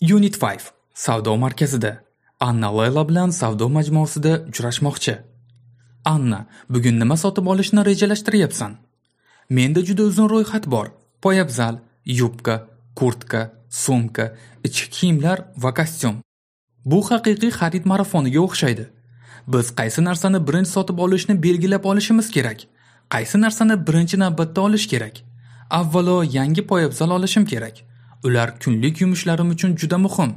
Unit 5. Savdo markazida. Anna Layla bilan savdo majmuasida uchrashmoqchi. Anna, bugun nima sotib olishni rejalashtiryapsan? Menda juda uzun ro'yxat bor. Poyabzal, yubka, kurtka, sumka, ichki kiyimlar va kostyum. Bu haqiqiy xarid marafoniga o'xshaydi. Biz qaysi narsani birinchi sotib olishni belgilab olishimiz kerak. Qaysi narsani birinchi navbatda olish kerak? Avvalo yangi poyabzal olishim kerak. Ular kunlik yumushlarim uchun juda muhim.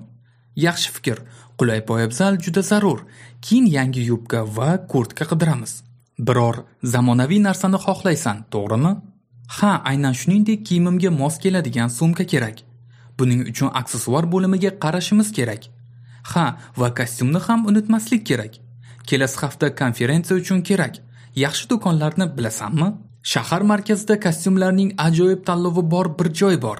Yaxshi fikr. Qulay poyabzal juda zarur. Keyin yangi yubka va kurtka qidiramiz. Biror zamonaviy narsani xohlaysan, to'g'rimi? Ha, aynan shuningdek kiyimimga mos keladigan sumka kerak. Buning uchun aksessuar bo'limiga qarashimiz kerak. Ha, va kostyumni ham unutmaslik kerak. Kelasi hafta konferensiya uchun kerak. Yaxshi do'konlarni bilasanmi? Shahar markazida kostyumlarning ajoyib tanlovi bor bir joy bor.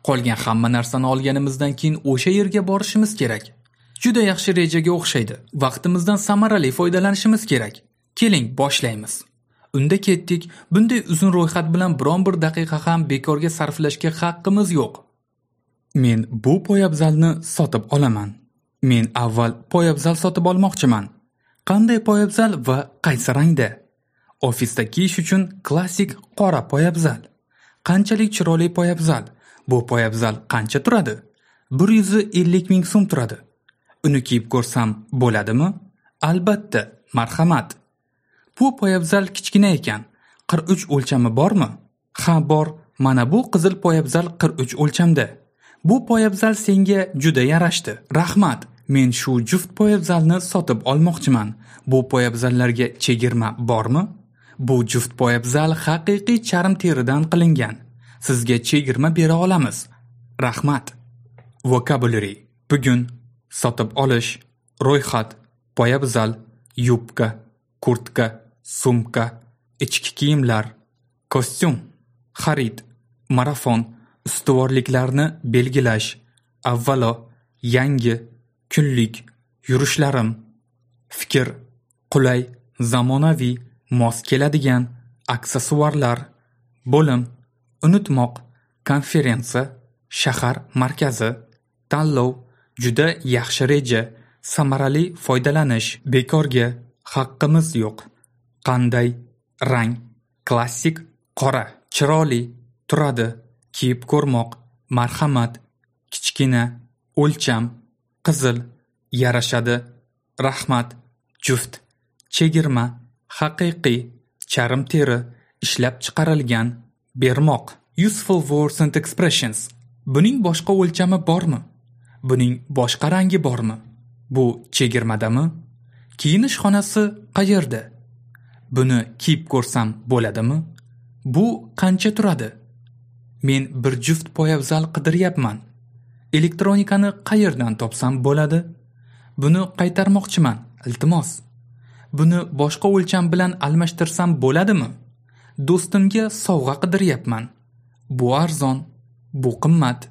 Qolgan hamma narsani olganimizdan keyin o'sha yerga borishimiz kerak. Juda yaxshi rejaga o'xshaydi. Vaqtimizdan samarali foydalanishimiz kerak. Keling, boshlaymiz. Unda ketdik. Bunday uzun ro'yxat bilan biron bir daqiqa ham bekorga sarflashga haqqimiz yo'q. Men bu poyabzalni sotib olaman. Men avval poyabzal sotib olmoqchiman. Qanday poyabzal va qaysi rangda? Ofisda kiyish uchun klassik qora poyabzal. Qanchalik chiroyli poyabzal? Bu poyabzal qancha turadi? 150 ming so'm turadi. Uni kiyib ko'rsam bo'ladimi? Albatta, marhamat. Bu poyabzal kichkina ekan. 43 o'lchami bormi? Ha, bor. Mana bu qizil poyabzal 43 o'lchamda. Bu poyabzal senga juda yarashdi. Rahmat. Men shu juft poyabzalni sotib olmoqchiman. Bu poyabzallarga chegirma bormi? Bu juft poyabzal haqiqiy charm teridan qilingan. Sizga chegirma bera olamiz. Rahmat. Vocabulary. Bugun sotib olish, ro'yxat, poyabzal, yubka, kurtka, sumka, ichki kiyimlar, kostyum, xarid, marafon, ustuvorliklarni belgilash, avvalo, yangi, kunlik, yurishlarim, fikr, qulay, zamonaviy, mos keladigan, aksessuarlar, bo'lim, unutmoq, konferensiya, shahar markazi, tanlov, juda yaxshi reja, samarali foydalanish, bekorga, haqqimiz yo'q. Qanday, rang, klassik, qora, chiroyli, turadi, kiyib ko'rmoq, marhamat, kichkina, o'lcham, qizil, yarashadi, rahmat, juft, chegirma, haqiqiy, charm teri, ishlab chiqarilgan, bermoq. Useful words and expressions. Buning boshqa o'lchami bormi? Buning boshqa rangi bormi? Bu chegirmadami? Kiyinish xonasi qayerda? Buni kiyib ko'rsam bo'ladimi? Bu qancha turadi? Men bir juft poyabzal qidiryapman. Elektronikani qayerdan topsam bo'ladi? Buni qaytarmoqchiman, iltimos. Buni boshqa o'lcham bilan almashtirsam bo'ladimi? Do'stimga sovg'a qidiryapman. Bu arzon, bu qimmat.